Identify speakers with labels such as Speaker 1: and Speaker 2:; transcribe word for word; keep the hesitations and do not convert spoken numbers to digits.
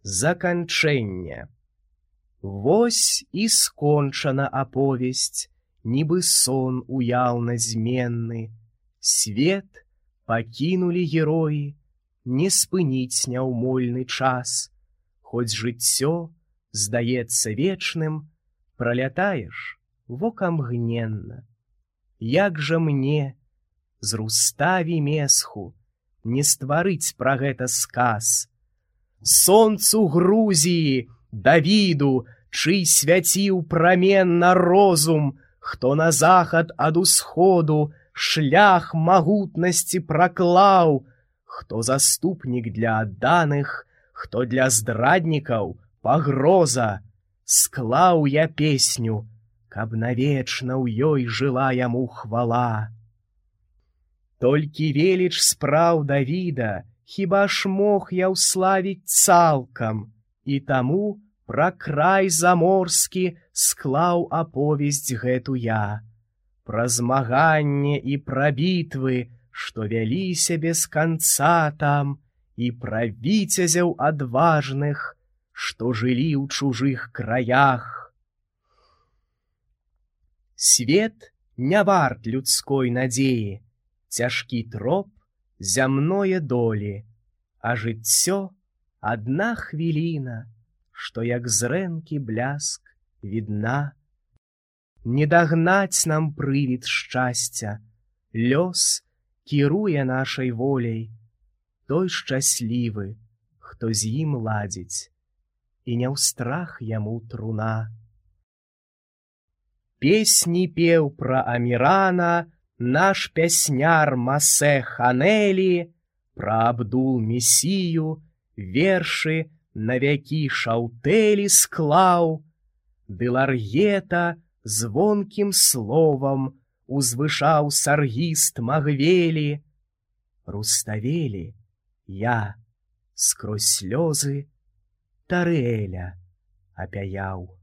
Speaker 1: Заканчэнне. Вось і скончана аповесць, нібы сон уяўна зменны. Свет пакінулі героі, не спыніць няўмольны час. Хоць жыццё здаецца вечным, пралятаеш вокамгненна. Як жа мне з Руставі месху не стварыць пра гэта сказ? Сонцу Грузіі, Давіду, чый свяціў праменна розум, хто на захад ад усходу шлях магутнасці праклаў, хто заступнік для адданых, хто для здраднікаў пагроза. Склаў я песню, каб навечна ў ёй жыла яму хвала. Толькі веліч спраў Давіда хіба ж мог я ўславіць цалкам, і таму пра край заморскі склаў аповесць гэту я, пра змаганне і пра бітвы, што вяліся без канца там, і пра віцязяў адважных, што жылі ў чужых краях. Свет не варт людской надзеі, цяжкі троп зямное долі, а жыццё адна хвіліна, што як зрэнкі бляск відна. Не дагнаць нам прывід шчасця, лёс кіруе нашай воляй, той шчаслівы, хто з ім ладзіць, і не ў страх яму труна. Песні пеў пра Амірана наш пясняр Масе Ханелі, пра Абдул-Месію вершы на вякі шаўтэлі склаў, ды Ларгета звонкім словам узвышаў саргіст Магвелі. Руставелі я скрозь слёзы Тарыэля апяяў.